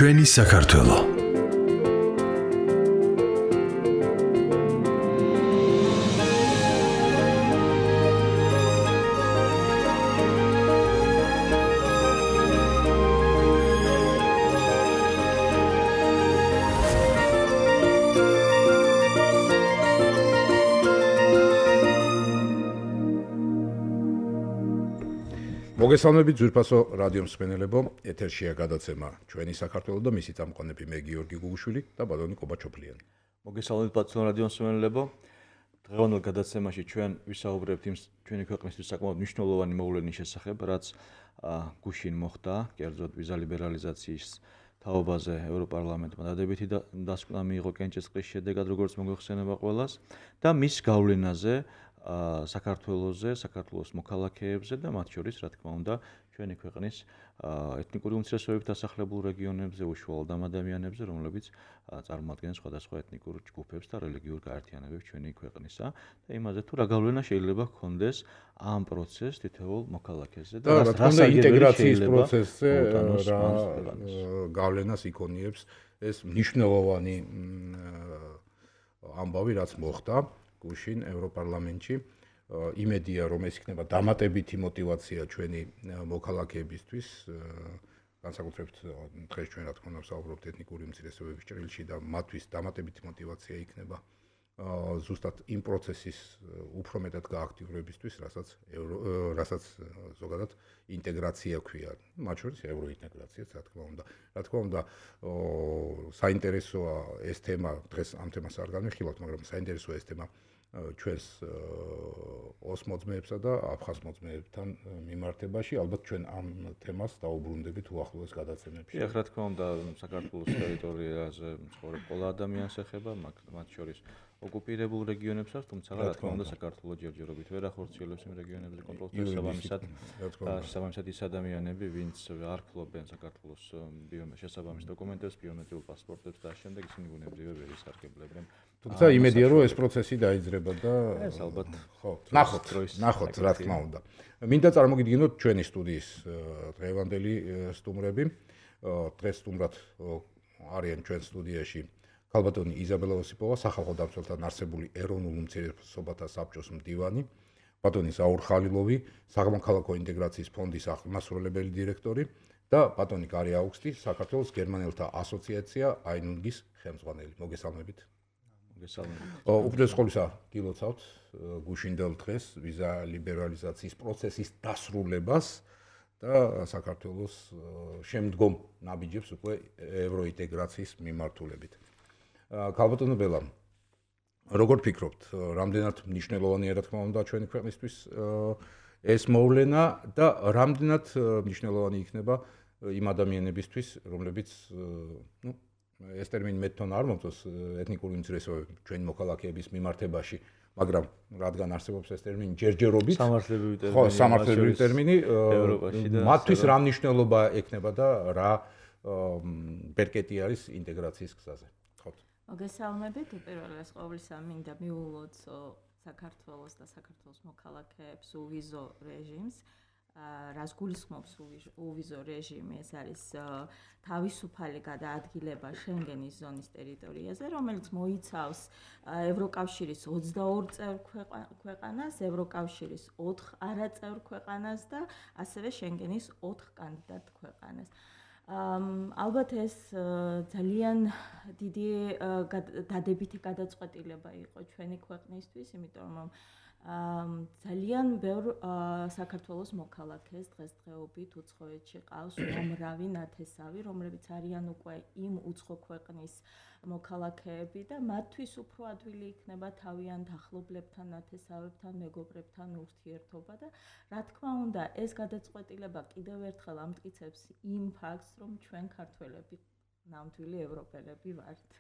ჩვენი საქართველო. მოგესალმებით ძვირფასო რადიო მსმენელებო, ეთერშია გადაცემა ჩვენი საქართველო და მისი წამყვანები მე გიორგი გუგუშვილი და ბატონი კობაჩოფლიანი. მოგესალმებით ბატონო რადიო მსმენელებო. დღევანდელ გადაცემაში ჩვენ ვისაუბრებთ იმ ჩვენი ქვეყნისთვის საკმაოდ მნიშვნელოვანი მოვლენის შესახებ, რაც გუშინ მოხდა, კერძოდ ვიზა ლიბერალიზაციის თაობაზე ევროპარლამენტმა დადებითი დასკვნა მიიღო კენჭისყრის შედეგად, როგორც მოგეხსენება ყველას და მის გავლენაზე საქართველოს მოქალაქეებზე და მათ შორის, რა თქმა უნდა, ჩვენი ქვეყნის ეთნიკური უმცირესობებით დასახლებულ რეგიონებზე, უშუალოდ ამ ადამიანებზე, რომლებიც წარმოადგენენ სხვადასხვა ეთნიკურ ჯგუფებს და რელიგიურ გაერთიანებებს ჩვენი ქვეყნისა და იმაზე თუ რა გავლენა შეიძლება ჰქონდეს ამ პროცესს თითოეულ მოქალაქეზე და რა თქმა უნდა ინტეგრაციის პროცესზე რა გავლენას იქონიებს ეს მნიშვნელოვანი ამბავი, რაც მოხდა გუშინ ევროპარლამენტში. იმედია, რომ ეს იქნება დამატებითი мотиваცია ჩვენი მოქალაქეებისთვის, განსაკუთრებით დღეს ჩვენ რა თქმა უნდა ვსაუბრობთ ეთნიკური უმცირესობების ჭრილში და მათთვის დამატებითი мотиваცია იქნება ზუსტად იმ პროცესის უფრო მეტად გააქტიურებისთვის, რასაც ზოგადად ინტეგრაცია ქვია. მათ შორის ევროინტეგრაციაც, რა თქმა უნდა. რა თქმა უნდა, საინტერესოა ეს თემა, დღეს ამ თემას არ განვიხილავთ, მაგრამ საინტერესოა ეს თემა ჩვენს ოსმოძმეებსა და აფხაზმოძმეებთან მიმართებაში, ალბათ ჩვენ ამ თემას დაუბრუნდებით უახლოეს გადაცემებში. რა თქმა უნდა, საქართველოს ტერიტორიაზე მცხოვრებ ყველა ადამიანს ეხება, მათ შორის ოკუპირებულ რეგიონებსაც, თუმცა რა თქმა უნდა საქართველოს ჯერჯერობით ვერ ახორციელებს იმ რეგიონებზე კონტროლს და შესაბამისად ის ადამიანები, ვინც არ ფლობენ საქართველოს შესაბამის დოკუმენტებს, ბიომეტრიულ პასპორტებს და შემდეგ ისინი ბუნებრივად ვერ ისარგებლებენ. თუმცა იმედია, რომ ეს პროცესი დაიძრება და ეს ალბათ ნახოთ, რა თქმა უნდა. მინდა წარმოგიდგინოთ ჩვენი სტუდიის დღევანდელი სტუმრები. დღეს სტუმრად არიან ჩვენ სტუდიაში ქალბატონი იზაბელა ოსიპოვა, სახალხო დამცველთან არსებული ეროვნულ უმცირესობათა საბჭოს მდივანი, ბატონი ზაურ ხალილოვი, სამოქალაქო ინტეგრაციის ფონდის აღმასრულებელი დირექტორი და ბატონი გარი აუგსტი, საქართველოს გერმანელთა ასოციაცია აინუნგის ხელმძღვანელი. მოგესალმებით. უპირველეს ყოვლისა გილოცავთ გუშინდელ დღეს ვიზა ლიბერალიზაციის პროცესის დასრულებას და საქართველოს შემდგომ ნაბიჯებს უკვე ევროინტეგრაციის მიმართულებით. ქალბატონო ბელა, როგორ ფიქრობთ, რამდენად მნიშვნელოვანია, რა თქმა უნდა, ჩვენი ქვეყნისთვის ეს მოვლენა და რამდენად მნიშვნელოვანი იქნება იმ ადამიანებისთვის, რომლებიც ეს ტერმინი მე თვითონ არ მომწონს ეთნიკური უმცირესობები ჩვენი მოქალაქეების მიმართებაში, მაგრამ რადგან არსებობს ეს ტერმინი ჯერჯერობით, სამართლებრივი ტერმინი, მათთვის რა მნიშვნელობა ექნება და რა ბერკეტი არის ინტეგრაციის გზაზე. მოგესალმებით, უპირველეს ყოვლისა მინდა მიულოცო საქართველოს და საქართველოს მოქალაქეებს უვიზო რეჟიმს. რას გულისხმობს უვიზო რეჟიმი, ეს არის თავისუფალი გადაადგილება შენგენის ზონის ტერიტორიაზე, რომელიც მოიცავს ევროკავშირის 22 წევრ ქვეყანას, ევროკავშირის 4 არაწევრ ქვეყანას და ასევე შენგენის 4 კანდიდატ ქვეყანას. ალბათ ეს ძალიან დიდი დადებითი გადაწყვეტილება იყო ჩვენი ქვეყნისთვის, იმიტომ რომ ძალიან ბევრ საქართველოს მოქალაქეს დღესდღეობით უცხოეთში ყავს უამრავი ნათესავი, რომლებიც არიან უკვე იმ უცხო ქვეყნის მოქალაქეები და მათთვის უფრო ადვილი იქნება თავიანთ ახლობლებთან, ნათესავებთან, მეგობრებთან ურთიერთობა და რა თქმა უნდა, ეს გადაწყვეტილება კიდევ ერთხელ ამტკიცებს იმ ფაქტს, რომ ჩვენ ქართველები ნამდვილი ევროპელები ვართ.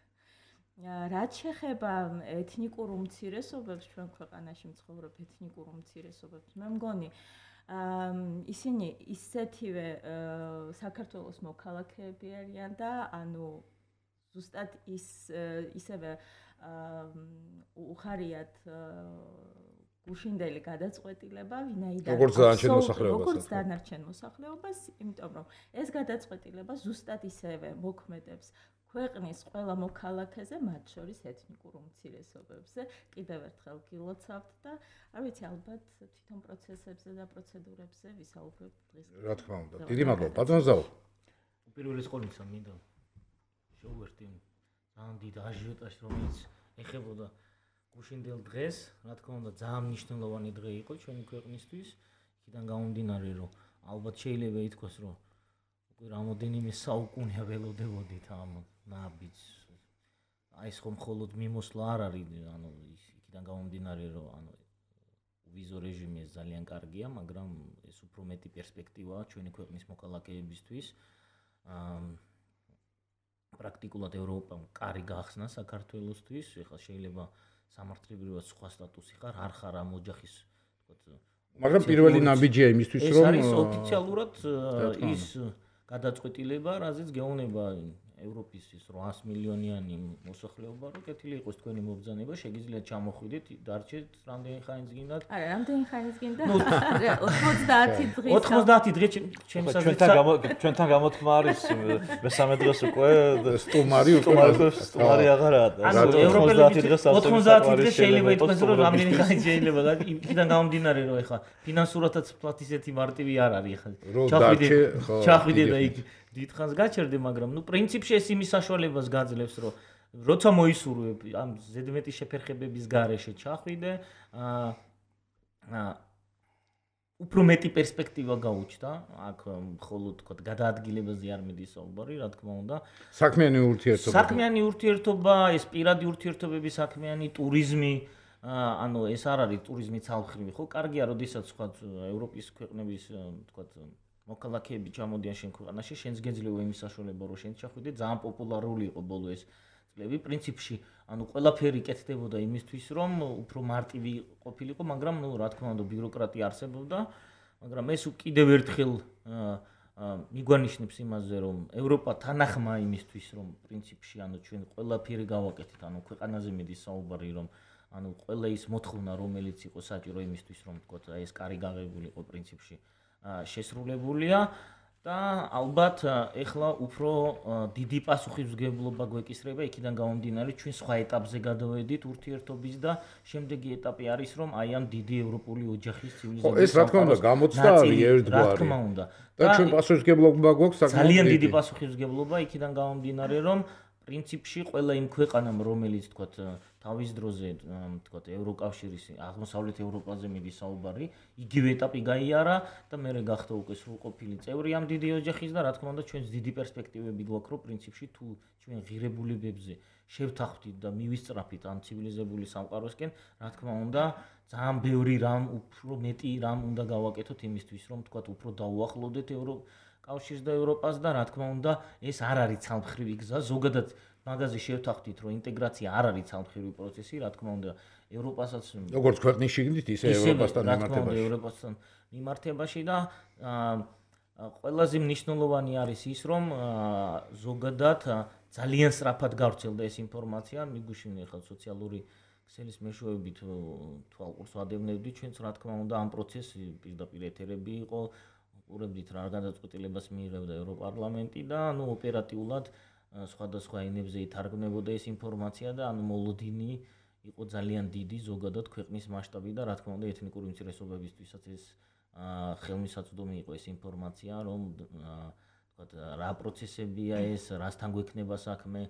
რაც შეეხება ეთნიკურ უმცირესობებს, ჩვენ ქვეყანაში მცხოვრებ ეთნიკურ უმცირესობებს, მე მგონი ისინი ისეთივე საქართველოს მოქალაქეები არიან და ანუ ზუსტად ისევე უხარიათ გუშინდელი გადაწყვეტილება, ვინაიდან როგორც დანარჩენ მოსახლეობას, იმიტომ რომ ეს გადაწყვეტილება ზუსტად ისევე მოქმედებს ქვეყნის ყველა მოქალაქეზე, მათ შორის ეთნიკურ უმცირესობებზე, კიდევ ერთხელ გილოცავთ და არ ვიცი, ალბათ თვითონ პროცესებზე და პროცედურებზე ვისაუბრებ დღეს. რა თქმა უნდა. დიდი მადლობა. ბატონო ზაო. პირველი სკოლისა მინდა შევერთი ძალიან დიდ აჟიოტაჟს, რომელიც ეხებოდა გუშინდელ დღეს, რა თქმა უნდა, ძალიან მნიშვნელოვანი დღე იყო ჩვენი ქვეყნისთვის. იქიდან გამომდინარე, რომ ალბათ შეიძლება ითქვას, რომ უკვე რამოდენიმე საუკუნე ველოდებოდით ამ ნაბიჯს. აი ეს ხომ მხოლოდ მიმოსვლა არ არის, ანუ იქიდან გამომდინარე, რომ ანუ ვიზო რეჟიმი ეს ძალიან კარგია, მაგრამ ეს უფრო მეტი პერსპექტივაა ჩვენი ქვეყნის მოქალაქეებისთვის. პრაქტიკულად ევროპამ კარი გახსნა საქართველოსთვის, ეხლა შეიძლება სამართლებრივად სხვა სტატუსი ხარ, არ ხარ ამ ოჯახის, თქო, მაგრამ პირველი ნაბიჯია იმისთვის, რომ ეს არის ოფიციალურად ის გადაწყვეტილება, რაზეც გეუბნება ევროპის 800 მილიონიანი მოსახლეობა, რომ კეთილი იყოს თქვენი მობრძანება, შეგიძლიათ ჩამოხვიდეთ, დარჩეთ რამდენი ხანიც გინდათ. არა, რამდენი ხანიც გინდა? 90 დღის. 90 დღე ჩემს აზრით ჩვენთან გამოთქმა არის მესამე დღეს უკვე სტუმარი აღარაა. ანუ ევროპელები 90 დღე შეიძლება ითქვას, რომ რამდენი ხანი შეიძლება და იქიდან გამომდინარე, რომ ეხლა ფინანსურადაც ვთქვათ ისეთი მარტივი არ არის ეხლა. ჩახვიდე და იქ დიდხანს გაჩერდე, მაგრამ ნუ პრინციპში ეს იმის საშუალებას გაძლევს, რომ როცა მოისურვებ ამ ზედმეტი შეფერხებების გარეშე ჩახვიდე, უფრო მეტი პერსპექტივა გაუჩნდა, აქ მხოლოდ თქო გადაადგილებაზე არ მიდის საუბარი, რა თქმა უნდა. საქმიანი ურთიერთობა, ეს პირადი ურთიერთობები, საქმიანი ტურიზმი, ანუ ეს არ არის ტურიზმი ცალმხრივი, ხო? კარგია, როდესაც თქვა ევროპის ქვეყნების თქვა მოქალაქეები ჩამოდიან შენ ქვეყანაში, შენს გეძლევა იმის საშუალება, რომ შენ ჩახვიდე, ძალიან პოპულარული იყო ბოლო ეს წლები. პრინციპში, ანუ ყველაფერი კეთდებოდა იმისთვის, რომ უფრო მარტივი ყოფილიყო, მაგრამ ნუ რა თქმა უნდა, ბიუროკრატია არსებობდა, მაგრამ ეს კიდევ ერთხელ მიგვანიშნებს იმაზე, რომ ევროპა თანახმა იმისთვის, რომ პრინციპში, ანუ ჩვენ ყველაფერი გავაკეთეთ, ანუ ქვეყანაზე მიდის საუბარი, რომ ანუ ყველა ის მოთხოვნა, რომელიც იყო საჭირო იმისთვის, რომ თქო, ეს კარი გაღებულიყო პრინციპში შესრულებულია და ალბათ ეხლა უფრო დიდი პასუხისმგებლობა გვეკისრება იქიდან გამომდინარე ჩვენ სხვა ეტაპზე გადავედით ურთიერთობის და შემდეგი ეტაპი არის რომ აი ამ დიდი ევროპული ოჯახის ცივილიზაციის ეს რა თქმა უნდა გამოწდა არის ერთგვარი რა თქმა უნდა და ჩვენ პასუხისმგებლობა გვაქვს ძალიან დიდი პასუხისმგებლობა იქიდან გამომდინარე რომ პრინციპში ყველა იმ ქვეყანამ რომელიც თქვათ თავის დროზე თქვათ ევროკავშირის აღმოსავლეთ ევროპაზე მიდის საუბარი იგივე ეტაპი გაიარა და მე გახდა უკვე სრულყოფილი წევრი ამ დიდი ოჯახის და რა თქმა უნდა ჩვენს დიდი პერსპექტივები გვაქვს რომ პრინციპში თუ ჩვენ ღირებულებებზე შევთანხმდით და მივისწრაფით ამ ცივილიზებული სამყაროსკენ რა თქმა უნდა ძალიან ბევრი რამ უფრო მეტი რამ უნდა გავაკეთოთ იმისთვის რომ თქვათ უფრო დაუახლოვდეთ კავშირს და ევროპას და რა თქმა უნდა ეს არ არის ცალმხრივი გზა ზოგადად მაგაზე შევთანხმდით რომ ინტეგრაცია არ არის ცალმხრივი პროცესი რა თქმა უნდა ევროპასაც როგორც ქვეყნის შიგნით ისე ევროპასთან მიმართებაში ევროპასთან მიმართებაში და ყველაზე მნიშვნელოვანი არის ის რომ ზოგადად ძალიან სწრაფად გავრცელდა ეს ინფორმაცია მიგუშინე ხალხ სოციალური ქსელის მეშვეობით თვალყურს ვადევნებდი ჩვენც რა თქმა უნდა ამ პროცესში პირდაპირ ეთერები იყო ურებდით რა გადაწყვეტილებას მიიღებდა ევროპარლამენტი და ანუ ოპერატიულად სხვადასხვა ენებზე ითარგმნებოდა ეს ინფორმაცია და ანუ მოლოდინი იყო ძალიან დიდი ზოგადად ქვეყნის მასშტაბი და რა თქმა უნდა ეთნიკური უმცირესობებისთვისაც ეს ხელმისაწვდომი იყო ეს ინფორმაცია რომ თქვათ რა პროცესებია ეს რასთან გვექნება საქმე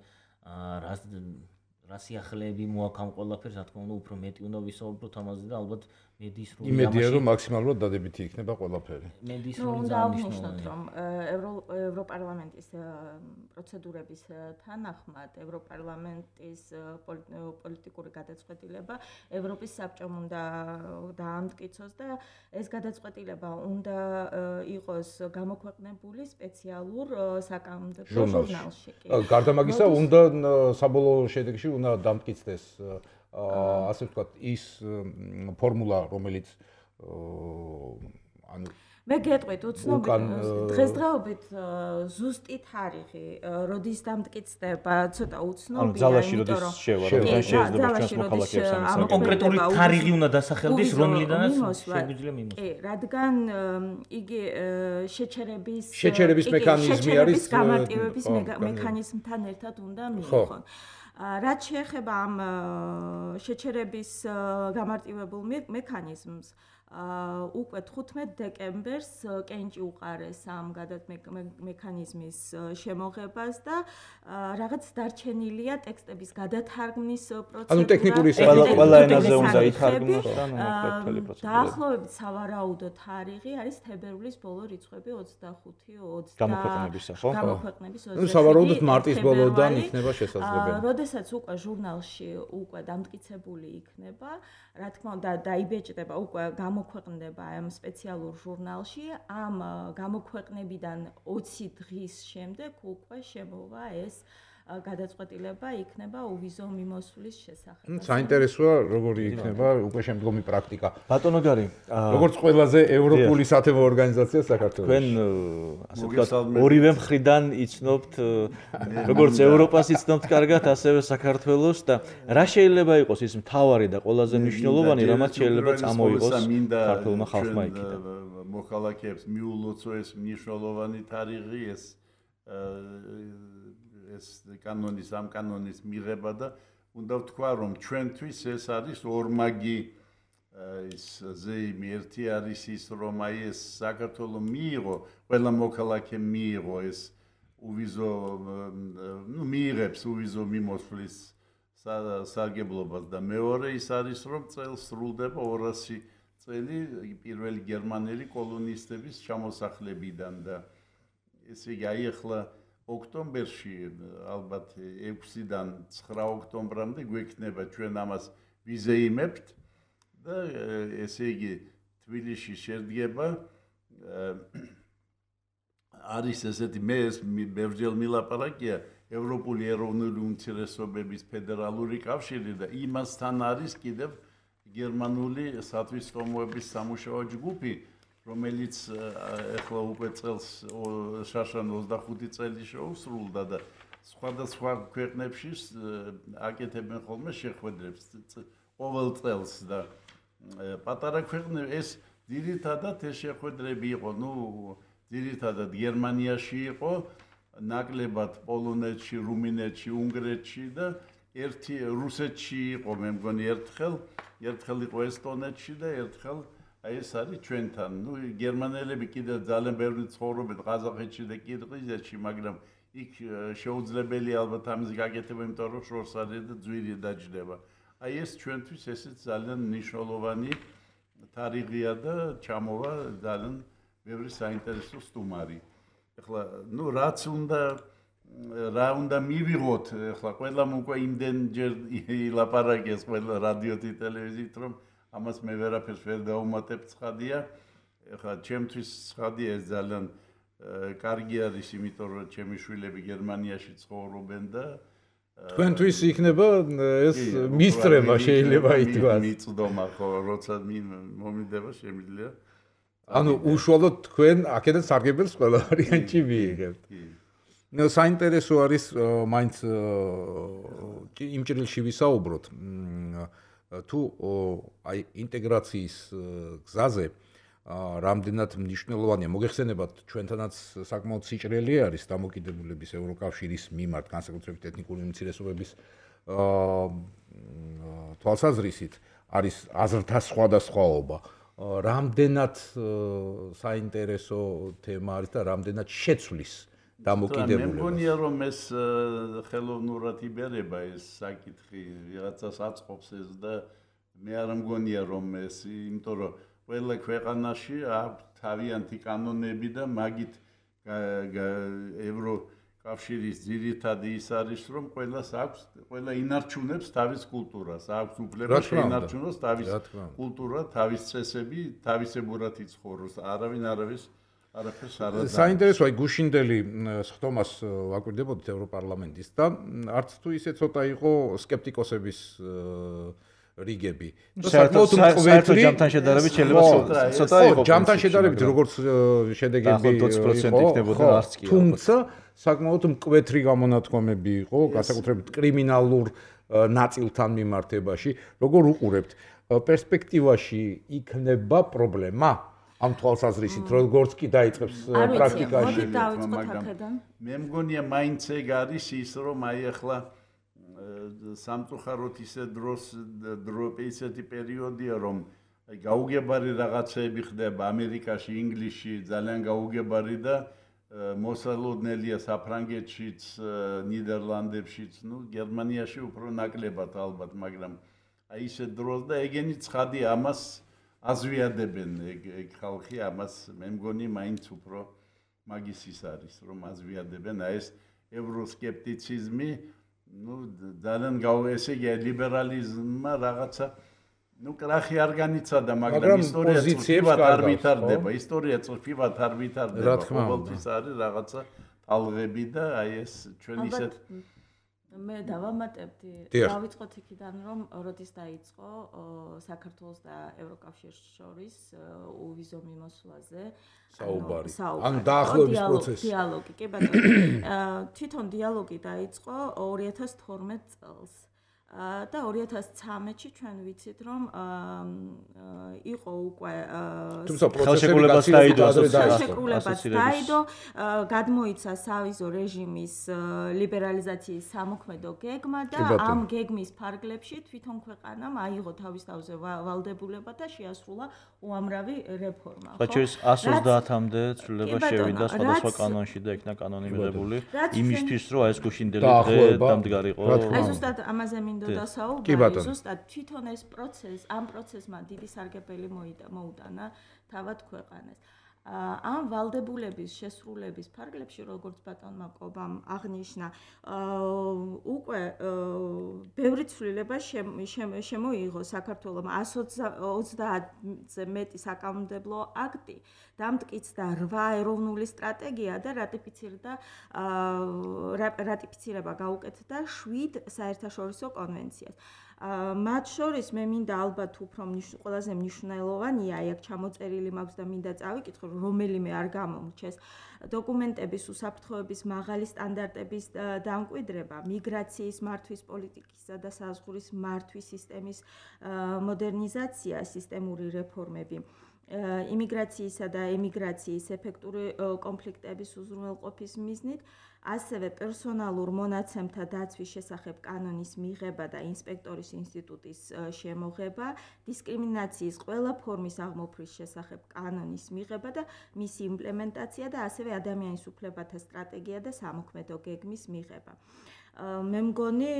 რა სიახლეები მოაქვს ამ ყველაფერს რა თქმა უნდა უფრო მეტი უნდა ვისაუბროთ ამაზე და ალბათ მედიის როლი იმედია რომ მაქსიმალურად დადებითი იქნება ყველაფერი მედიის როლი ძალიან მნიშვნელოვანია რომ ევროპარლამენტის პროცედურების თანახმად ევროპარლამენტის პოლიტიკური გადაწყვეტილება ევროპის საბჭომ უნდა დაამტკიცოს და ეს გადაწყვეტილება უნდა იყოს გამოქვეყნებული სპეციალურ საკანონმდებლო ჟურნალში. გარდა მაგისა უნდა საბოლოო შედეგში უნდა დამტკიცდეს ასე ვთქვათ ის ფორმულა რომელიც ანუ მე გეტყვით უცნობი დღესდღეობით ზუსტი თარიღი როდის დამტკიცდება ცოტა უცნობია ძალაში როდის შევა რომ შეიძლება ჩვენს მოქალაქეებს ამის კონკრეტული თარიღი უნდა დასახელდეს რომლიდანაც შეგვიძლია მიმოს კი რადგან იგი შეჩერების მექანიზმი არის გამარტივების მექანიზმთან ერთად უნდა მიიღონ რაც შეეხება ამ შეჩერების გამარტივებულ მექანიზმს უკვე 15 დეკემბერს კენჭი უყარეს ამ მექანიზმის შემოღებას და რაღაც დარჩენილია ტექსტების გადათარგმნის პროცედურა. ანუ ტექნიკური ყველა ენაზე უნდა ითარგმნოს და მთელი პროცედურა. დაახლოებით სავარაუდო თარიღი არის თებერვლის ბოლო რიცხვები 25-20 გამოქვეყნებისა, ხო? გამოქვეყნების 20. ნუ სავარაუდოდ მარტის ბოლოდან იქნება შესაძლებელი. როდესაც უკვე ჟურნალში უკვე დამტკიცებული იქნება, რა თქმა უნდა დაიბეჭდება უკვე გამოქვეყნდება ამ სპეციალურ ჟურნალში ამ გამოქვეყნებიდან 20 დღის შემდეგ უკვე შემოვა ეს გადაწყვეტილება იქნება უვიზო მიმოსვლის შესახებ. საინტერესოა როგორი იქნება უკვე შემდგომი პრაქტიკა. ბატონო გარი, როგორც ყველაზე ევროპული სათემო ორგანიზაცია საქართველოში. თქვენ ასე ვთქვათ ორივე მხრიდან იცნობთ როგორც ევროპას იცნობთ კარგად, ასევე საქართველოს და რა შეიძლება იყოს ის მთავარი და ყველაზე მნიშვნელოვანი, რამაც შეიძლება წამოიღოს ქართულმა ხალხმა იქიდან. მოქალაქეებს მიულოცო ეს მნიშვნელოვანი თარიღი ეს კანონის ამ კანონის მიღება და უნდა ვთქვა რომ ჩვენთვის ეს არის ორმაგი ის ზეიმი ერთი არის ის რომ აი ეს საქართველოს მიიღო ყველა მოქალაქე მიიღო ეს უვიზო მიიღებს უვიზო მიმოსვლის სარგებლობას და მეორე ის არის რომ წელს სრულდება 200 წელი პირველი გერმანელი კოლონისტების ჩამოსახლებიდან და ესე იგი აი ახლა ოქტომბერში ალბათ 6-დან 9 ოქტომბრამდე გვექნება ჩვენ ამას ვიზეიმებთ და ესე იგი თბილისში შედგება არის ესეთი მე ეს ბევრჯერ მილაპარაკია ევროპული ეროვნული უმცირესობების ფედერალური კავშირი და იმასთან არის კიდევ გერმანული სათვისტომოების სამუშაო ჯგუფი რომელიც ახლა უკვე წელს შაშან 25 წელი შეუსრულდა და სხვადასხვა ქვეყნებში აკეთებენ ხოლმე შეხვედრებს ყოველ წელს და პატარა ქვეყნები ეს ძირითადად ეს შეხვედრები იყო ძირითადად გერმანიაში იყო ნაკლებად პოლონეთში, რუმინეთში, უნგრეთში და ერთი რუსეთში იყო მე მგონი ერთხელ იყო ესტონეთში და ერთხელ აი ეს არის ჩვენთან. გერმანელები კიდევ ძალიან ბევრი ცხოვრობენ ყაზახეთში და კირგიზეთში, მაგრამ იქ შეუძლებელია ალბათ ამის გაკეთება, იმიტომ რომ შორს არის და ძვირი დაჯდება. აი ეს ჩვენთვის ესეც ძალიან მნიშვნელოვანი თარიღია და ჩამოვა ძალიან ბევრი საინტერესო სტუმარი. ეხლა რაც რა უნდა მივიღოთ, ეხლა ყველამ უკვე იმდენჯერ ილაპარაკეს ყველა რადიოთი ტელევიზიით, რომ ამას მე ვერაფერს ვერ დავუმატებ ცხადია. ეხლა ჩემთვის ცხადია ეს ძალიან კარგი არის, იმიტომ რომ ჩემი შვილები გერმანიაში ცხოვრობენ და თქვენთვის იქნება ეს მისწრება შეიძლება ითქვას. მიწდომა ხო, როცა მომიდება შემიძლია. ანუ უშუალოდ თქვენ აქედან სარგებელს ყველა ვარიანტში მიიღებთ. საინტერესო არის მაინც იმ ჭრილში ვისაუბროთ. თუ აი ინტეგრაციის გზაზე რამდენად მნიშვნელოვანია მოგეხსენებათ ჩვენთანაც საკმაოდ სიჭრელი არის დამოკიდებულების ევროკავშირის მიმართ განსაკუთრებით ეთნიკური უმცირესობების თვალსაზრისით არის აზრთა სხვადასხვაობა რამდენად საინტერესო თემა არის და რამდენად შეცვლის დამოკიდებულებას. მე მგონია რომ ეს ხელოვნურად იბერება ეს საკითხი ვიღაცას აწყობს ეს და მე არ მგონია რომ ეს იმიტომ რომ ყველა ქვეყანაში აქვს თავიანთი კანონები და მაგით ევროკავშირის ძირითადი ის არის რომ ყველა ინარჩუნებს თავის კულტურას, აქვს უფლება შეინარჩუნოს თავის კულტურა, თავის წესები, თავისებურად იცხოვროს, არავინ არაფერს არ აზრავს. საინტერესოა გუშინდელი სხდომას ვაკვირდებოდით ევროპარლამენტის და არც თუ ისე ცოტა იყო სკეპტიკოსების რიგები. საერთოდ ჯამთან შედარებით შეიძლება ცოტა იყოს. ჯამთან შედარებით როგორც შედეგები 20% იქნებოდა არც კი. თუმცა საკმაოდ მკვეთრი გამონათქვამები იყო, განსაკუთრებით კრიმინალურ ნაწილთან მიმართებაში. როგორ უყურებთ, პერსპექტივაში იქნება პრობლემა? ამ თვალსაზრისით, როგორც კი დაიწყებს პრაქტიკაში. მე მგონია მაინც ეგ არის ის, რომ აი ახლა სამწუხაროდ ისე ისეთი პერიოდია, რომ გაუგებარი რაღაცეები ხდება ამერიკაში, ინგლისში, ძალიან გაუგებარი და მოსალოდნელია საფრანგეთშიც, ნიდერლანდებშიც, გერმანიაში უფრო ნაკლებად ალბათ, მაგრამ აი ისე დროს და ეგენი ცხადი ამას აზვიადებენ ეგ ხალხი ამას მე მგონი მაინც უფრო მაგის ის არის რომ აზვიადებენ აი ეს ევროსკეპტიციზმი ძალიან ესე იგი ლიბერალიზმმა რაღაცა კრახი არ განიცადა მაგრამ ისტორია წვიფად არ ვითარდება ისტორია წვიფად არ ვითარდება ყოველთვის არის რაღაცა ტალღები და აი ეს ჩვენ ისეთ მე დავამატებდი დავიწყოთ იქიდან რომ როდის დაიწყო საქართველოს და ევროკავშირის შორის უვიზო მიმოსვლაზე საუბარი ან დაახლოების პროცესი დიალოგი კი ბატონო თვითონ დიალოგი დაიწყო 2012 წელს და 2013-ში ჩვენ ვიცით რომ იყო უკვე თუმცა ხელშეკრულებას დაიდო გადმოიცა სავიზო რეჟიმის ლიბერალიზაციის სამოქმედო გეგმა და ამ გეგმის ფარგლებში თვითონ ქვეყანამ აიღო თავის თავზე ვალდებულება და შეასრულა უამრავი რეფორმა. ხოჭის 130-მდე ცვლილება შევიდა სხვადასხვა კანონში და იქნა კანონი მიღებული იმისთვის რომ ეს გუშინდელი დღე დამდგარიყო. აი ზუსტად ამაზე მინდოდა საუბარი, ზუსტად თვითონ ეს პროცესი, ამ პროცესმა დიდი სარგებელი მოუტანა თავად ქვეყანას. ამ ვალდებულების შესრულების ფარგლებში, როგორც ბატონმა კობამ აღნიშნა, უკვე ბევრი ცვლილება შემოიღო საქართველოს 130-ზე მეტი საკანონმდებლო აქტი, დამტკიცდა 8 ეროვნული სტრატეგია და რატიფიცირება გაუკეთდა 7 საერთაშორისო კონვენციას. მათ შორის მე მინდა ალბათ უფრო ყველაზე მნიშვნელოვანია, აქ ჩამოწერილი მაქვს და მინდა წავიკითხო, რომელიმე არ გამომრჩეს დოკუმენტების უსაფრთხოების მაღალი სტანდარტების დამკვიდრება, მიგრაციის მართვის პოლიტიკისა და საზღვრის მართვის სისტემის მოდერნიზაცია, სისტემური რეფორმები, იმიგრაციისა და ემიგრაციის ეფექტური კონფლიქტების უზრუნველყოფის მიზნით, ასევე პერსონალურ მონაცემთა დაცვის შესახებ კანონის მიღება და ინსპექტორის ინსტიტუტის შემოღება, დისკრიმინაციის ყველა ფორმის აღმოფხრის შესახებ კანონის მიღება და მისი იმპლემენტაცია და ასევე ადამიანის უფლებათა სტრატეგია და სამოქმედო გეგმის მიღება. მე მგონი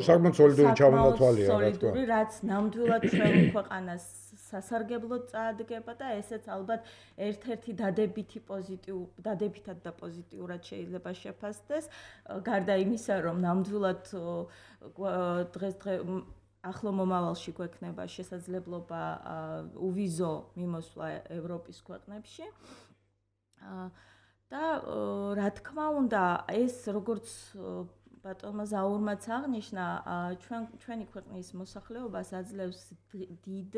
საკმაოდ სოლიდური ჩამონათვალია, რაც ნამდვილად ჩვენ ქვეყანას სასარგებლოდ წაადგება და ესეც ალბათ ერთ-ერთი დადებითად და პოზიტიურად შეიძლება შეფასდეს, გარდა იმისა, რომ ნამდვილად დღეს ახლო მომავალში გვექნება შესაძლებლობა უვიზო მიმოსვლა ევროპის ქვეყნებში. და რა თქმა უნდა, ეს როგორც ბატონმა ზაურმაც აღნიშნა, ჩვენი ქვეყნის მოსახლეობას აძლევს დიდ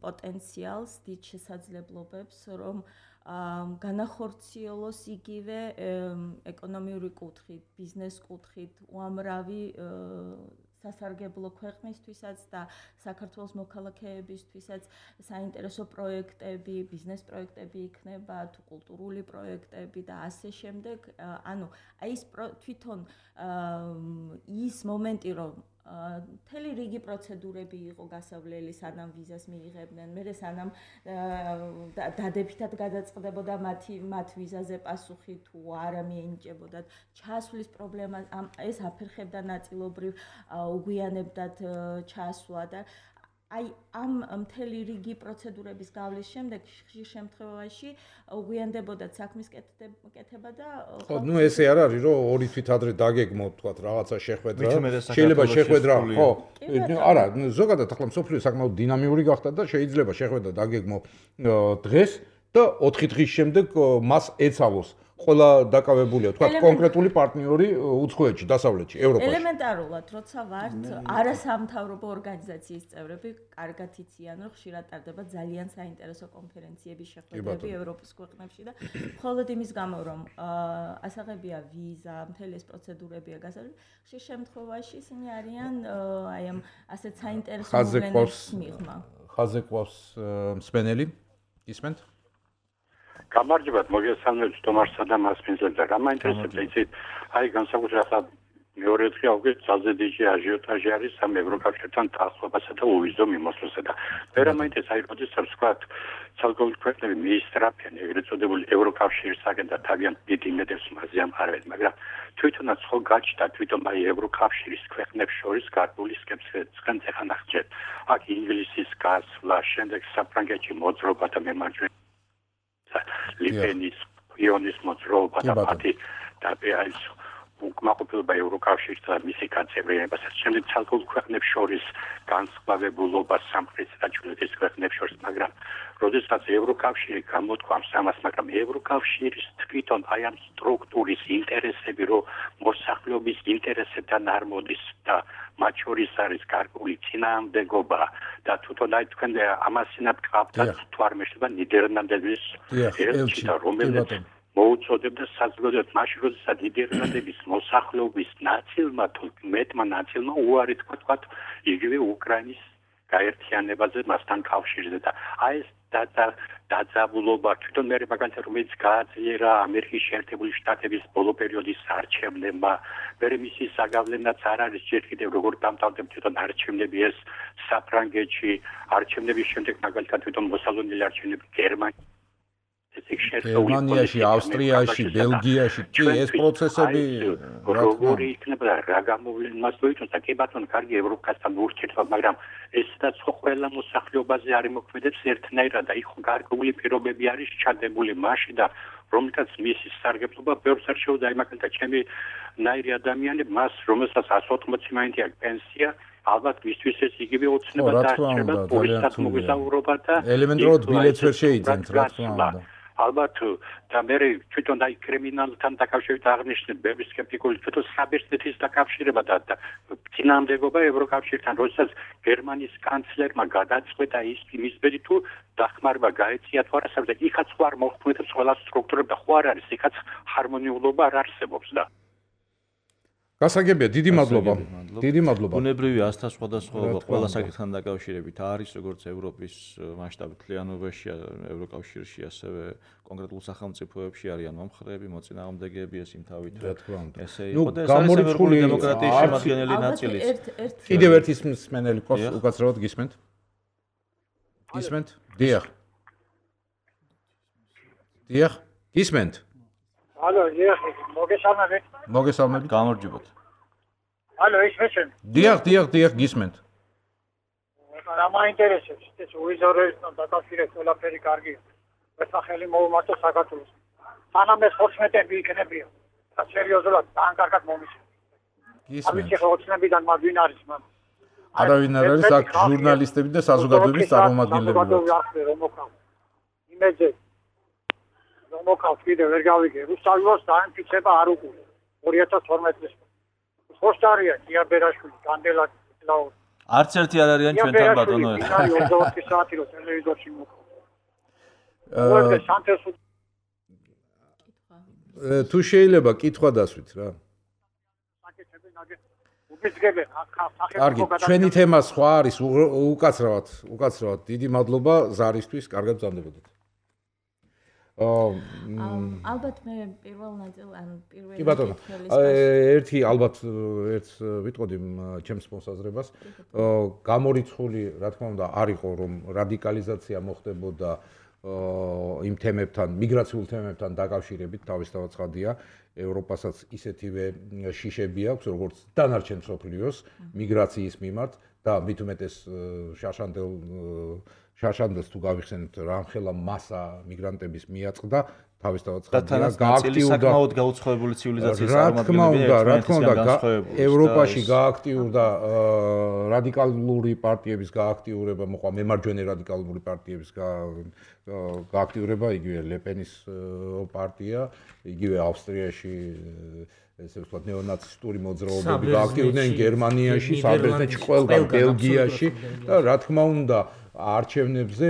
პოტენციალს, დიდ შესაძლებლობებს, რომ განახორციელოს იგივე ეკონომიური კუთხით, ბიზნეს კუთხით, უამრავი სასარგებლო ქვეყნისთვისაც და საქართველოს მოქალაქეებისთვისაც საინტერესო პროექტები, ბიზნეს პროექტები იქნება, თუ კულტურული პროექტები და ასე შემდეგ. ანუ აი ეს თვითონ ის მომენტი, რომ მთელი რიგი პროცედურები იყო გასავლელი, სანამ ვიზას მიიღებდნენ, მერე სანამ დადებითად გადაწყდებოდა მათ ვიზაზე პასუხი თუ არა მიენიჭებოდათ, ჩასვლის პრობლემა ეს აფერხებდა ნაწილობრივ უგვიანებდად ჩასვლა და აი ამ მთელი რიგი პროცედურების გავლის შემდეგ ხშირ შემთხვევაში უგვიანდებოდათ საქმის კეთება და ხო, ესე არ არის რომ ორი თვით ადრე დაგეგმოთ თქვათ რაღაცა შეხვედრა, შეიძლება შეხვედრა, ხო, არა, ზოგადად ახლა მსოფლიო საკმაოდ დინამიური გახდა და შეიძლება შეხვედრა დაგეგმო დღეს და 4 დღის შემდეგ მას ეცავოს ყველა დაკავებულია, თქვა კონკრეტული პარტნიორი უცხოეთში, დასავლეთში, ევროპაში. ელემენტარულად, როცა ვართ არასამთავრობო ორგანიზაციის წევრები, კარგად იციან, რომ ხშირად ტარდება ძალიან საინტერესო კონფერენციები, შეხვედრები ევროპის ქვეყნებში და მხოლოდ იმის გამო, რომ ასაღებია ვიზა, მთელი ეს პროცედურებია გასაგები, ხშირ შემთხვევაში ისინი არიან აი ამ ასეთ საინტერესო მოვლენებს მიღმა. ხაზზე ყავს მსმენელი, ისმენთ? გამარჯობათ, მოგესალმებით თომარსა და მასპინძელს და რა მაინტერესებდა იცით, აი განსაკუთრებით მეორე დღე აუგეთ ძალზე დიდი აჟიოტაჟი არის ამ ევროკავშირთან დაახლოებასა და უვიზო მიმოსვლასა და მე რა მაინტერესებს აი როდესაც ვსქვათ ცალკეული ქვეყნები მიისწრაფიან ეგრეთ წოდებული ევროკავშირისაგან და თავიანთ დიდ იმედებს მასზე ამყარებენ, მაგრამ თვითონაც ხო გაჩნდა თვითონ აი ევროკავშირის ქვეყნებს შორის გარკვეული სკეპსი ხან ახჯეთ. აქ ინგლისის გასვლა, შემდეგ საფრანგეთში მოძრაობა და მემარჯვენე ლიპენის იონის მოძრაობა და მათი და აი უკმაყოფილება ევროკავშირსა და მისი გაწევრიანებასაც შემდეგ ცალკეულ ქვეყნებს შორის განსხვავებულობა სამხრეთის და ჩრდილოეთის ქვეყნებს შორის, მაგრამ როდესაც ევროკავშირი გამოთქვამს ამას, მაგრამ ევროკავშირის თვითონ აი ამ სტრუქტურის ინტერესები, რომ მოსახლეობის ინტერესებთან არ მოდის და მათ შორის არის გარკვეული წინააღმდეგობა და თვითონ აი თქვენ ამასინად გყავდათ თუ არ მეშლება ნიდერლანდების ელჩი და რომელიც მოუწოდებდა საზოგადოებას მაშინ როდესაც ნიდერლანდების მოსახლეობის ნაწილმა თუ მეტმა ნაწილმა უარი თქვა იგივე უკრაინის გაერთიანებაზე მასთან კავშირზე და აი ეს დაძაბულობა თვითონ მე მაგალითად რომელიც გააძლიერა ამერიკის შეერთებული შტატების ბოლო პერიოდის არჩევნებმა მე მისი საგავლენაც არ არის ჯერ კიდევ როგორ დამთავრდება თვითონ არჩევნები ეს საფრანგეთში არჩევნების შემდეგ მაგალითად თვითონ მოსალონელი არჩევნები გერმანიაში, ავსტრიაში, ბელგიაში კი ეს პროცესები როგორი იქნება რა გამოვლენას მოიწონს და კი ბატონო კარგი ევროპასთან ურთიერთობა, მაგრამ ესეც ხო ყველა მოსახლეობაზე არ იმოქმედებს ერთნაირად და იქ გარკვეული პირობები არის ჩადებული მასში და რომელთაც მისი სარგებლობა ბევრს არ შეუძლია აი მაგალითად ჩემი ნაირი ადამიანები მას რომელსაც 180 მაინც აქვს პენსია ალბათ მისთვის ეს იგივე ოცნება დაარჩება პულისად მოგესაუბრობა და ელემენტარულად ბილეთს ვერ შეიძენთ რა თქმა უნდა ალბათ და მე თვითონ აი კრიმინალთან დაკავშირებით აღნიშნეთ ბევრი სკეპტიკული თვითონ საბერძნეთის დაკავშირება და წინააღმდეგობა ევროკავშირთან როდესაც გერმანიის კანცლერმა გადაწყვეტა ის იმისბედი თუ დახმარება გაეწია თუ არა საერთოდ იქაც ხო არ მოხმედებს ყველა სტრუქტურები და ხო არ არის იქაც ჰარმონიულობა არ არსებობს და გასაგებია, დიდი მადლობა. დიდი მადლობა. ბუნებრივი ასთა სხვადასხვაობა ყველა საკითხთან დაკავშირებით არის, როგორც ევროპის მასშტაბით მთლიანობაში, ევროკავშირში, ასევე კონკრეტულ სახელმწიფოებში არიან მომხრეები, მოწინააღმდეგეები, ეს იმთავით. ესე იყო და ეს არის ევროპული დემოკრატიის შემადგენელი ნაწილი. კიდევ ერთი მსმენელი ყავს, უკაცრავად გისმენთ? გისმენთ? დიახ. დიახ, გისმენთ? ალო, მოგესალმებით. მოგესალმებით. გამარჯობათ. ალო, ისმენთ? დიახ, გისმენთ. რა მაინტერესებს, ეს უიზორებთან დაკავშირებით ყველაფერი კარგია. ერთმა ხელი მოუმართო საქართველოს. სანამ ეს 14-ები იქნებია, და სერიოზულად ძალიან კარგად მომისმენთ. გისმენთ. ამის ახლა 20-ებიდან მადვინ არის მან. არავინ არ არის აქ ჟურნალისტები და საზოგადოების წარმომადგენლები. იმედზე მოკავს კიდე ვერ გავიგე. რუსთავოს დაინფიცება არ უყურე. 2012 წელს. ხოშტარია კიაბერაშვილი, განდელა ლაურ. არც ერთი არ არიან ჩვენთან ბატონო. 24 საათი რო ტელევიზორში მოკავს. თუ შეიძლება კითხვა დასვით რა. კარგი, ჩვენი თემა სხვა არის, უკაცრავად. დიდი მადლობა ზარისთვის, კარგად ბრძანდებოდეთ. ალბათ მე პირველ ნაწილ ან პირველი კი ბატონო ერთი ალბათ ერთს ვიტყოდი ჩემს მოსაზრებას გამორიცხული რა თქმა უნდა არ იყო რომ რადიკალიზაცია მოხდებოდა იმ თემებთან მიგრაციულ თემებთან დაკავშირებით თავისთავად ცხადია ევროპასაც ისეთივე შიშები აქვს როგორც დანარჩენ მსოფლიოს მიგრაციის მიმართ და მით უმეტეს შარშანდას თუ გავიხსენებთ რამხელა მასა მიგრანტების მიაწყდა თავისთავად ცხადია გააქტიურდა საკმაოდ გაუცხოებული ცივილიზაციის წარმომადგენლები რა თქმა უნდა ევროპაში გააქტიურდა რადიკალური პარტიების გააქტიურება მოყვა მემარჯვენე რადიკალური პარტიების გააქტიურება იგივე ლეპენის პარტია იგივე ავსტრიაში ესე ვთქვათ ნეონაცისტური მოძრაობები გააქტიურდნენ გერმანიაში საბერძნეთში ყველგან ბელგიაში და რა თქმა უნდა არჩევნებზე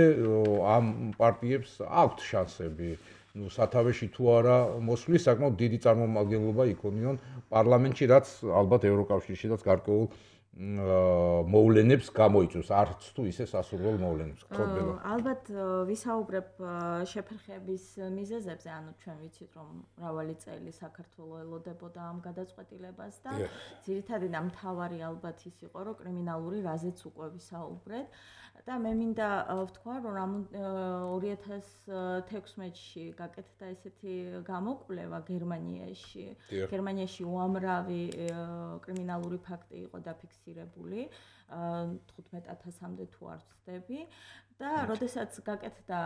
ამ პარტიებს აქვთ შანსები ну სათავეში თუ არა მოსვლის საკმაოდ დიდი წარმომადგენლობა იქონიონ პარლამენტში რაც ალბათ ევროკავშირშიც გარკვეულ მოვლენებს გამოიწვევს არც თუ ისე სასურველ მოვლენებს გქონდება ალბათ ვისაუბრებ შეფერხების მიზეზებზე ანუ ჩვენ ვიცით რომ მრავალი წელი საქართველოს ელოდებოდა ამ გადაწყვეტილებას და ძირითადად ამ მთავარი ალბათ ის იყო რომ კრიმინალური რაზეც უკვე ვისაუბრეთ და მე მინდა ვთქვა რომ 2016-ში გაკეთდა ესეთი გამოკვლევა გერმანიაში უამრავი კრიმინალური ფაქტი იყო დაფიქსირებული 15,000-მდე თუ არ ვცდები და როდესაც გაკეთდა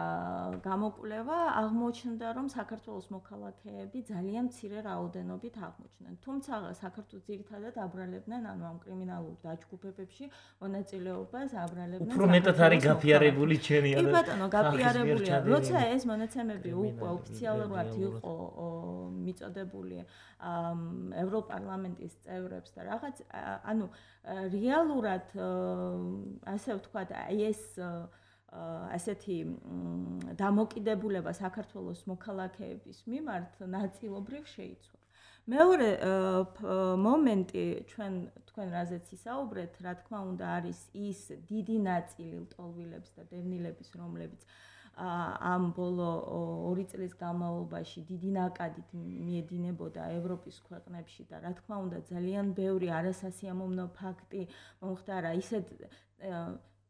გამოკვლევა აღმოჩნდა რომ საქართველოს მოქალაქეები ძალიან მცირე რაოდენობით აღმოჩნდნენ თუმცა საქართველოს ძირითადად აბრალებდნენ ანუ ამ კრიმინალურ დაჯგუფებებში მონაწილეობას აბრალებდნენ უფრო მეტად არის გაფიარებული ჩვენი კი ბატონო გაფიარებულია როცა ეს მონაცემები უკვე ოფიციალურად იყო მიწოდებული ევროპარლამენტის წევრებს და რაღაც ანუ რეალურად ასე ვთქვათ აი ეს ასეთი დამოკიდებულება საქართველოს მოქალაქეების მიმართ ნაწილობრივ შეიცვალა. მეორე მომენტი თქვენ რაზეც ისაუბრეთ, რა თქმა უნდა არის ის დიდი ნაწილი ლტოლვილების და დევნილების, რომლებიც ამ ბოლო 2 წლის განმავლობაში დიდი ნაკადით მიედინებოდა ევროპის ქვეყნებში და რა თქმა უნდა ძალიან ბევრი არასასიამოვნო ფაქტი მომხდარა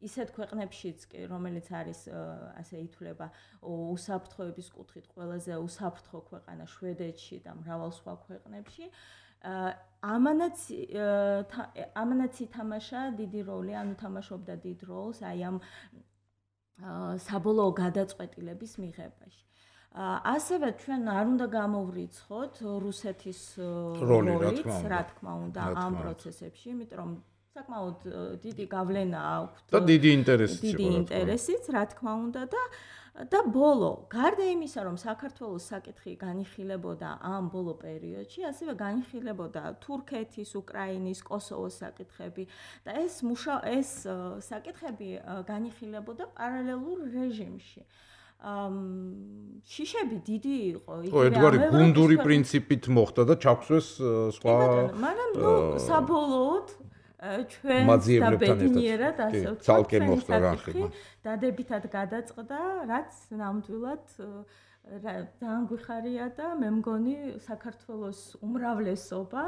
ისეთ ქვეყნებშიც კი რომელიც არის ასე ითვლება უსაფრთხოების კუთხით ყველაზე უსაფრთხო ქვეყანა შვედეთში და მრავალ სხვა ქვეყნებში ამანაც ითამაშა დიდი როლი ანუ თამაშობდა დიდ როლს აი ამ საბოლოო გადაწყვეტილების მიღებაში. ასევე ჩვენ არ უნდა გამოვრიცხოთ რუსეთის როლიც, რა თქმა უნდა, ამ პროცესებში, იმიტომ რომ საკმაოდ დიდი გავლენა აქვს და დიდი ინტერესიც, რა თქმა უნდა და ბოლო, გარდა იმისა, რომ საქართველოს საკითხი განიხილებოდა ამ ბოლო პერიოდში, ასევე განიხილებოდა თურქეთის, უკრაინის, კოსოვოს საკითხები და ეს საკითხები განიხილებოდა პარალელურ რეჟიმში. შიშები დიდი იყო. ედგარი გუნდური პრინციპით მოხდა და ჩაქვსვეს სხვა მაგრამ საბოლოოდ ჩვენ საბედნიერად ასე ცალკე მოხდა განხილვა. დადებითად გადაწყდა, რაც ნამდვილად ძალიან გვიხარია და მე მგონი საქართველოს უმრავლესობა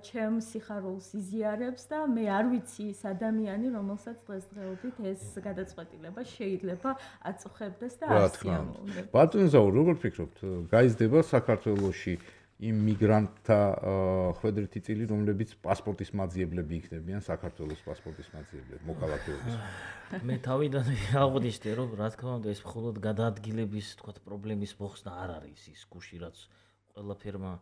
ჩემს სიხარულს იზიარებს და მე არ ვიცი ის ადამიანი, რომელსაც დღესდღეობით ეს გადაწყვეტილება შეიძლება აწუხებდეს და ასიამოვნებდეს. ბატონო ზაურ, როგორ ფიქრობთ, გაიზრდება საქართველოში იმ მიგრანტთა ხვედრითი წილი, რომლებიც პასპორტის მაძიებლები იქნებიან, საქართველოს პასპორტის მაძიებლები, მოქალაქეობის. მე თავიდან აღვნიშნე, რომ რა თქმა უნდა ეს მხოლოდ გადაადგილების, თქვათ, პრობლემის მოხსნა არ არის ის გუში, რაც ყველაფერმა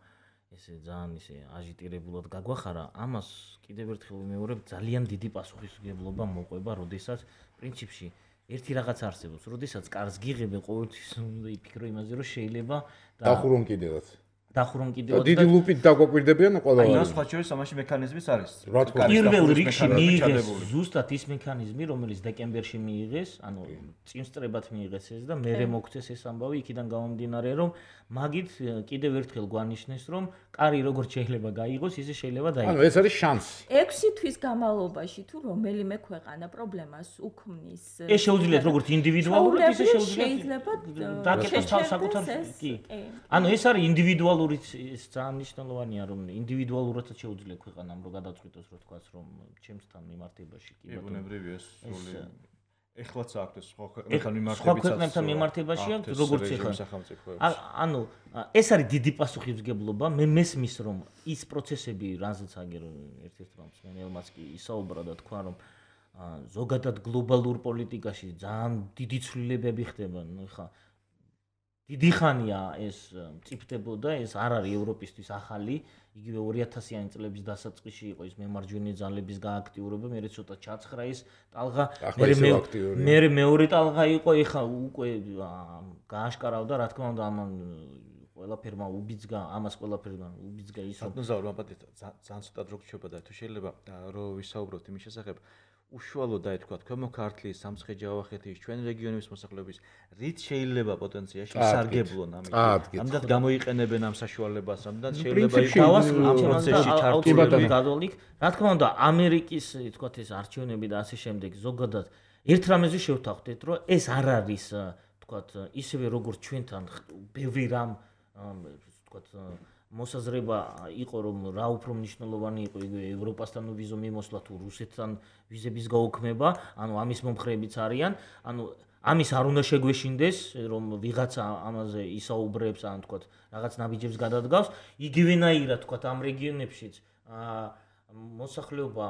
ესე ძალიან ისე აჟიტირებულად გაგვახარა. ამას კიდევ ერთხელ ვიმეორებ, ძალიან დიდი პასუხისმგებლობა მოყვება, როდესაც პრინციპში ერთი რაღაც არსებობს, როდესაც კარს გიღებ, ყოველთვის უნდა იფიქრო იმაზე, რომ შეიძლება დახურონ კიდევაც. დიდი ლუპით დაგვაკვირდებიან ყველა. აი, სხვა შორის ამაში მექანიზმიც არის. პირველ რიგში მიიღეს ზუსტად ის მექანიზმი, რომელიც დეკემბერში მიიღეს, ანუ წინსწრებად მიიღეს ეს და მერე მოგცეს ეს ამბავი, იქიდან გამომდინარე, რომ მაგით კიდევ ერთხელ გვანიშნეს, რომ კარი როგორც შეიძლება გაიღოს, ისე შეიძლება დაიღოს. ანუ ეს არის შანსი. 6 თვის განმავლობაში თუ რომელიმე ქვეყანა პრობლემას უქმნის. ეს შეუძლიათ როგორც ინდივიდუალურად, ისე შეუძლიათ დაკეთოს საკუთარ კი. ანუ ეს არის ინდივიდუალური ის ძალიან მნიშვნელოვანია რომ ინდივიდუალურადაც შეუძლია ქვეყანამ რომ გადაწყვიტოს რომ თქვას რომ ჩემსთან მიმართებაში კი ბატონო ბუნებრივია სული ეხლაც აქვს სხვა ქვეყნებთან მიმართებაში როგორც ეხლა ანუ ეს არის დიდი პასუხისმგებლობა მე მესმის რომ ის პროცესები რაზეც აგერ ერთ-ერთ რამს მენელმაც კი ისაუბრა და თქვა რომ ზოგადად გლობალურ პოლიტიკაში ძალიან დიდი ცვლილებები ხდება. ნუ ხა დიდი ხანია ეს მწიფდებოდა, ეს არ არის ევროპისთვის ახალი, იგივე 2000-იანი წლების დასაწყისში იყო ის მემარჯვენე ძალების გააქტიურება, მე ცოტა ჩაცხრა ის ტალღა, მე მეორე ტალღა იყო, ეხა უკვე გააშკარავდა, რა თქმა უნდა, ამან ყველაფერმა უბიძგა, ამას ყველაფერმა უბიძგა ის რომ ზაურ მაპატეთ ძალიან ცოტა დრო გრჩება და თუ შეიძლება რომ ვისაუბროთ იმის შესახებ უშუალოდ აი თქვა ქვემო ქართლის სამცხე-ჯავახეთის ჩვენ რეგიონების მოსახლეობის რით შეიძლება პოტენციაში ისარგებლონ ამით ამდენ გამოიყენებენ ამ საშუალებას ამდენ შეიძლება იყოს ამ პროცესში ჩართულები გადავლიქ რა თქმა უნდა ამერიკის თქვა ეს არჩევნები და ასე შემდეგ ზოგადად ერთ რამეზე შევთანხმდეთ რომ ეს არ არის თქვა ისევე როგორც ჩვენთან ბევრი რამ თქვა მოსაზრება იყო რომ რა უფრო მნიშვნელოვანი იყო იგივე ევროპასთან ვიზო მიმოსვლა თუ რუსეთთან ვიზების გაუქმება, ანუ ამის მომხრეებიც არიან, ანუ ამის არ უნდა შეგვეშინდეს რომ ვიღაცა ამაზე ისაუბრებს, ან თქვა რაღაც ნაბიჯებს გადადგავს, იგივენაირად თქვა ამ რეგიონებშიც მოსახლეობა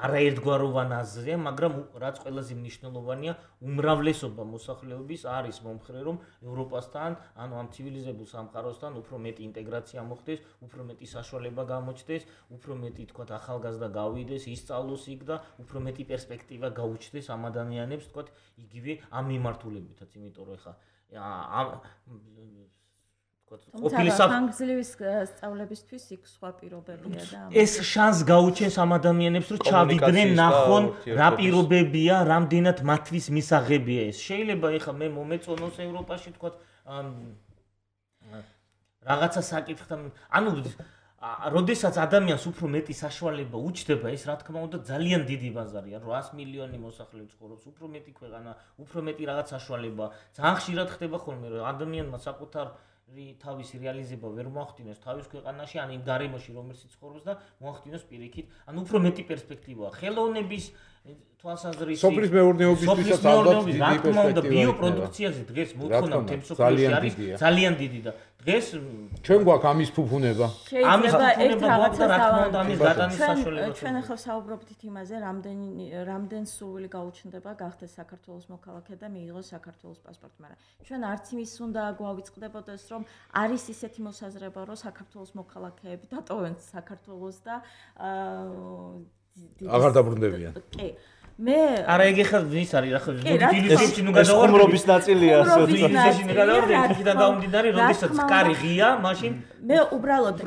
არაერთგვაროვან აზრია, მაგრამ რაც ყველაზე მნიშვნელოვანია, უმრავლესობა მოსახლეობის არის მომხრე, რომ ევროპასთან, ანუ ამ ცივილიზებულ სამყაროსთან უფრო მეტი ინტეგრაცია მოხდეს, უფრო მეტი საშუალება გამოჩნდეს, უფრო მეტი თქვა ახალგაზრდა გავიდეს, ისწავლოს იქ და უფრო მეტი პერსპექტივა გაუჩნდეს ამ ადამიანებს, თქვა იგივე ამ მიმართულებითაც, იმიტომ რომ ეხა ხანგრძლივი სწავლებისთვის იქ სხვა პირობებია და ეს შანს გაუჩენს ამ ადამიანებს რომ ჩავიდნენ ნახონ რა პირობებია, რამდენად მათთვის მისაღებია ეს. შეიძლება ეხლა მე მომეწონოს ევროპაში თქვა რაღაცა საკითხთან, ანუ როდესაც ადამიანს უფრო მეტი საშუალება უჩნდება, ეს რა თქმა უნდა ძალიან დიდი ბაზარია, 800 მილიონი მოსახლე ცხოვრობს, უფრო მეტი ქვეყანა, უფრო მეტი რაღაც საშუალება. ძალიან ხშირად ხდება ხოლმე რომ ადამიანმა საკუთარ თავისი რეალიზება ვერ მოახდინოს თავის ქვეყანაში, ან იმ გარემოში, რომელშიც ცხოვრობს და მოახდინოს პირიქით, ან უფრო მეტი პერსპექტივაა. ხელოვნების თვალსაზრისით, სოფლის მეურნეობისთვისაც ალბათ დიდი პერსპექტივა. ბიოპროდუქციაზე დღეს მოთხოვნა თემსოფლიოში არის ძალიან დიდი და დღეს ჩვენ გვაქვს ამის ფუფუნება. ამის ფუფუნება და რა თქმა უნდა ამის გადანის საშუალება. ჩვენ ახლა საუბრობთ იმაზე, რამდენ სურვილი გაუჩნდება გახდეს საქართველოს მოქალაქე და მიიღოს საქართველოს პასპორტი, მაგრამ ჩვენ არც იმის უნდა გვავიწყდებოდეს, რომ არის ისეთი მოსაზრება, რომ საქართველოს მოქალაქეები დატოვեն საქართველოს და აღარ დაბრუნდებიან. კი. მე არა ეგ ახლა ვის არის რა ხო დილისებში ნუ გადავარ ხუმრობის ნაწილია ასე დილისებში ნუ გადავარ იქიდან დაუმდინარე როდესაც კარი ღია მაშინ მე უბრალოდ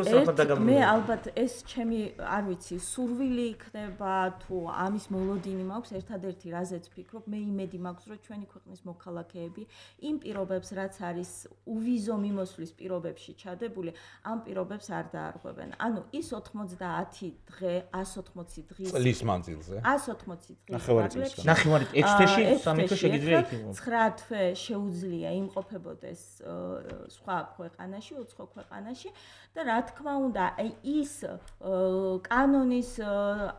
მე ალბათ ეს ჩემი არ ვიცი სურვილი იქნება თუ ამის მოლოდინი მაქვს ერთადერთი რაზეც ვფიქრობ მე იმედი მაქვს რომ ჩვენი ქვეყნის მოქალაქეები იმ პირობებს რაც არის უვიზო მიმოსვლის პირობებში ჩადებული ამ პირობებს არ დაარღვევენ ანუ ის 90 დღე 180 დღის წლის მანძილზე 180 დღის ნახევარი 6 თვეში 3 თვე შეგიძლია იქნებოდა 9 თვე შეუძლია იმყოფებოდეს სხვა ქვეყანაში უცხო ქვეყანაში და რა თქმა უნდა ის კანონის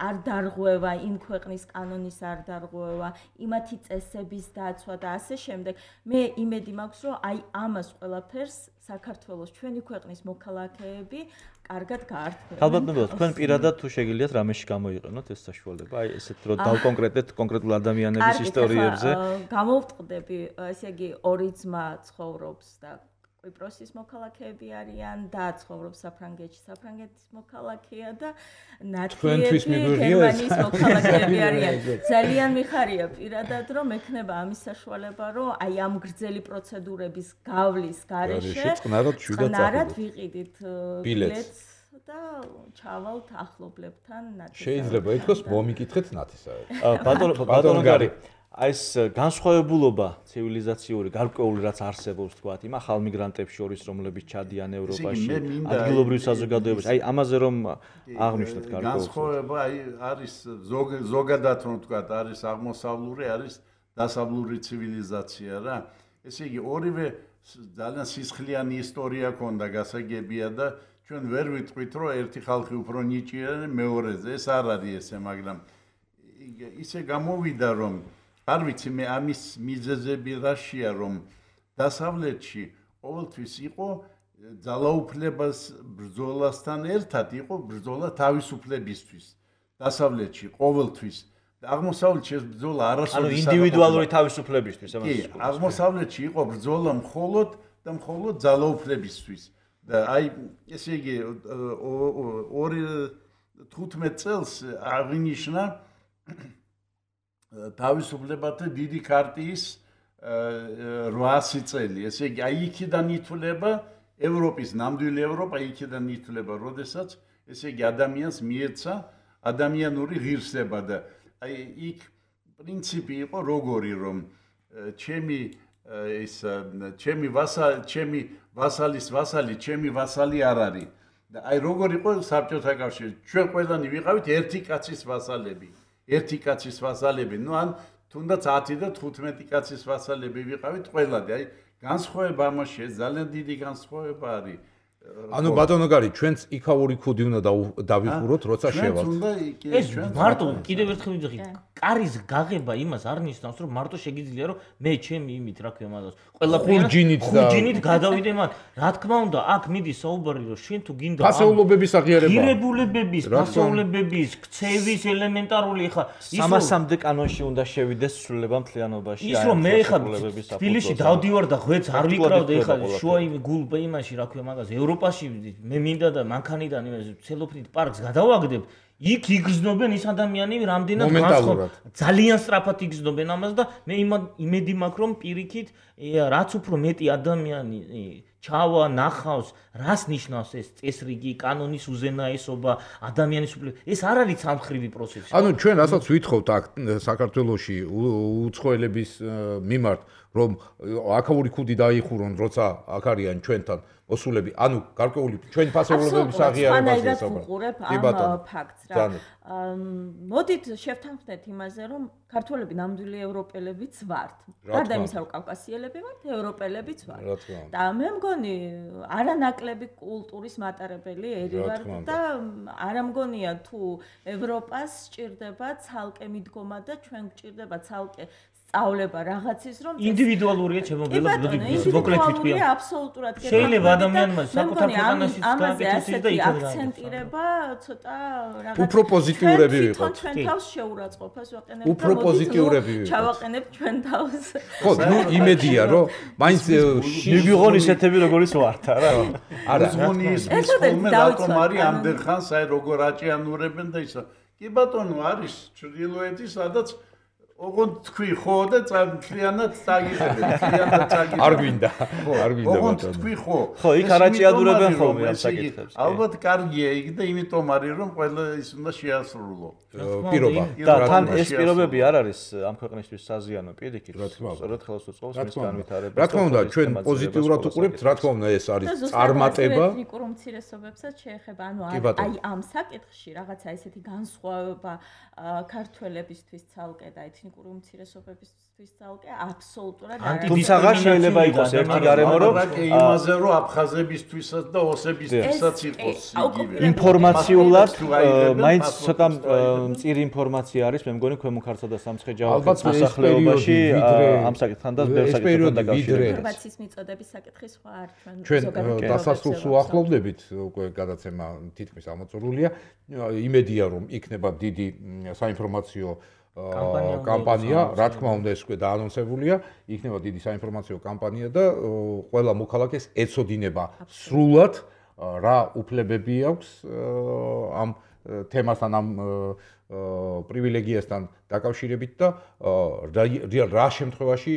არ დარღვევა იმ ქვეყნის კანონის არ დარღვევა იმათი წესების დაცვა და ასე შემდეგ მე იმედი მაქვს რომ აი ამას ყველაფერს საქართველოს ჩვენი ქვეყნის მოქალაქეები კარგად გაართმევენ. ალბათ მე თქვენ პირადად თუ შეგიძლიათ რამეში გამოიყენოთ ეს საშუალება, აი ესეთ რომ დავკონკრეტეთ კონკრეტულ ადამიანების ისტორიებზე. გამოვტყდები, ესე იგი ორი ძმა ცხოვრობს და კვიპროსის მოქალაქეები არიან და ცხოვრობს საფრანგეთში, საფრანგეთის მოქალაქეა და ნათლიები გერმანიის მოქალაქეები არიან. ძალიან მიხარია პირადად რომ ექნება ამის საშუალება, რომ აი ამ გრძელი პროცედურების გავლის გარეშე წყნარად ვიყიდით ბილეთს და ჩავალთ ახლობლებთან ნათლისად. შეიძლება ითქვას მომიკითხეთ ნათლისად. ბატონო გარი აი ეს განსხვავებულობა ცივილიზაციური გარკვეული რაც არსებობს თქვათ იმ ახალ მიგრანტებს შორის რომლებიც ჩადიან ევროპაში ადგილობრივ საზოგადოებაში აი ამაზე რომ აღნიშნოთ გარკვეულს განსხვავება აი არის ზოგადად რომ თქვათ არის აღმოსავლური არის დასავლური ცივილიზაცია რა ესე იგი ორივე ძალიან სისხლიანი ისტორია ქონდა გასაგებია და ჩვენ ვერ ვიტყვით რომ ერთი ხალხი უფრო ნიჭიერია მეორეზე ეს არ არის ესე მაგრამ ისე გამოვიდა რომ არ ვიცი მე ამის მიზეზები რაშია რომ დასავლეთში ყოველთვის იყო ძალაუფლებას ბრძოლასთან ერთად იყო ბრძოლა თავისუფლებისთვის დასავლეთში ყოველთვის აღმოსავლეთში ეს ბრძოლა არასოდეს ანუ ინდივიდუალური თავისუფლებისთვის კი, აღმოსავლეთში იყო ბრძოლა მხოლოდ და მხოლოდ ძალაუფლებისთვის. და აი ესე იგი 15 წელს აღინიშნა თავისუფლებათა დიდი ქარტიის 800 წელი. ესე იგი აი იქიდან ითვლება ევროპის ნამდვილი ევროპა იქიდან ითვლება, როდესაც ესე იგი ადამიანს მიეცა ადამიანური ღირსება და აი იქ პრინციპი იყო როგორი რომ ჩემი ვასალის ვასალი, ჩემი ვასალი არ არის. და აი როგორ იყო საბჭოთა კავშირი? ჩვენ ყველანი ვიყავით ერთი კაცის ვასალები. ერთი კაცის ვასალები, ну ან თუნდაც 10 და 15 კაცის ვასალები ვიყავით ყველანი. აი განსხვავება ამაში ძალიან დიდი განსხვავება არის. ანუ ბატონო გარი, ჩვენც იქაური ქუდი უნდა დავიხუროთ, როცა შევალთ. ეს მარტო კიდევ ერთხელ ვიძახი, კარის გაღება იმას არ ნიშნავს, რომ მარტო შეგიძლია რომ მე ჩემი იმით რა ქვია მაგას. ხურჯინით გადავიდე მათ. რა თქმა უნდა, აქ მიდის საუბარი რომ შენ თუ გინდა ფასეულობების აღიარება. ღირებულებების, ფასეულობების, ქცევის ელემენტარული ხა ის 300-მდე კანონში უნდა შევიდეს სრულება მთლიანობაში. ის რომ მე ხა თბილისში დავდივარ და ღვეც არ ვიკრავდი ხა შუა გულბა იმაში რა ქვია მაგას. ევროპაში მე მინდა და მანქანიდან იმას ცელოფნით პარკს გადავაგდებ. იქ იგრძნობენ ის ადამიანები რამდენად განსხვავებით. ძალიან სწრაფად იგრძნობენ ამას და მე იმედი მაქვს რომ პირიქით რაც უფრო მეტი ადამიანი ჩავა ნახავს, რას ნიშნავს ეს წესრიგი, კანონის უზენაესობა, ადამიანის უფლებები. ეს არ არის სამხრივი პროცესი. ანუ ჩვენ რასაც ვითხოვთ აქ საქართველოში უცხოელების მიმართ, რომ აქაური ქუდი დაიხურონ, როცა აქ არიან ჩვენთან მოსულები, ანუ გარკვეული ჩვენ ფასეულობების აღიარებაზე ვუყურებ ამ ფაქტს რა. მოდით შევთანხმდეთ იმაზე, რომ ქართველები ნამდვილი ევროპელებიც ვართ. გარდა იმისა, რომ კავკასიელები ვართ, ევროპელებიც ვართ. და მე მგონი არანაკლები კულტურის მატარებელი ერი ვართ და არ მგონია თუ ევროპას სჭირდება ცალკე მიდგომა და ჩვენ გვჭირდება ცალკე სწავლება რაღაცის რომ ინდივიდუალურია ჩემოგელა მოკლედ ვიტყვია აბსოლუტურად კი შეიძლება ადამიანმა საკუთარ ქვეყანაში გააკეთოს და იქ აქცენტირება ცოტა რაღაც უფრო პოზიტიურები ვიყოთ ჩვენ თავს შეურაცხყოფას ვაყენებთ უფრო პოზიტიურები ვიყოთ ჩავაყენებთ ჩვენ თავს ხო ნუ იმედია რომ მაინც მივიღონ ისეთები როგორიც ვართ არა არა ზღონის ხოლმე რატომ არის ამდერხანს აი როგორ აჭიანურებენ და ისა კი ბატონო არის ჩრდილოეთი სადაც ოღონდ თქვი ხო და მთლიანად წაგიხედე მთლიანად წაგიხედე არ გვინდა ოღონდ თქვი ხო ხო იქ არაჭიადურებენ ხოლმე ამ საკითხებს ალბათ კარგია იქ და იმიტომ არის რომ ყველა ის უნდა შეასრულო პირობა და თან ეს პირობები არ არის ამ ქვეყნისთვის საზიანო პირიქით სწორედ ხელს უწყობს მის განვითარებას რა თქმა უნდა ჩვენ პოზიტიურად უყურებთ რა თქმა უნდა ეს არის წარმატება ეთნიკურ უმცირესობებსაც შეეხება ანუ აი ამ საკითხში რაღაცა ესეთი განსხვავება ქართველებისთვის ცალკე და ეთნიკურ უმცირესობებისთვის ცალკე აბსოლუტურად არ არის. თუმცა შეიძლება იყოს ერთი გარემო რომ იმაზე რომ აფხაზებისთვისაც და ოსებისთვისაც იყოს იგივე. ინფორმაციულად მაინც ცოტა მწირი ინფორმაცია არის მე მგონი ქვემო ქართლსა და სამცხე-ჯავახეთის მოსახლეობაში ამ საკითხთან და ბევრ საკითხთან დაკავშირებით. ინფორმაციის მიწოდების საკითხი სხვა არ ჩვენ დასასრულს უახლოვდებით უკვე გადაცემა თითქმის ამოწურულია. იმედია რომ იქნება დიდი საინფორმაციო კამპანია, რა თქმა უნდა ეს უკვე დაანონსებულია, იქნება დიდი საინფორმაციო კამპანია და ყველა მოქალაქეს ეცოდინება სრულად რა უფლებები აქვს ამ თემასთან ამ პრივილეგიასთან დაკავშირებით და რა შემთხვევაში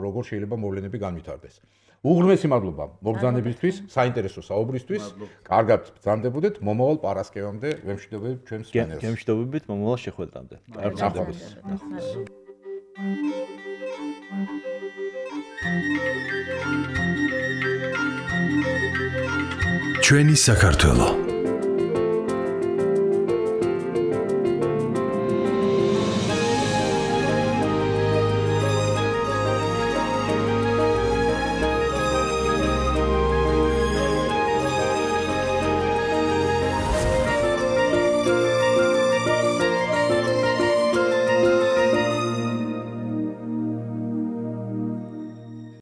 როგორ შეიძლება მოვლენები განვითარდეს. უღრმესი მადლობა მოგზაურობისთვის, საინტერესო საუბრისთვის. კარგად ბრძანდებოდეთ მომავალ პარასკევამდე ვემშვიდობებით ჩვენს პანელს. გემშვიდობებით მომავალ შეხვედრამდე. კარგად ბრძანდებოდეთ. ჩვენი საქართველო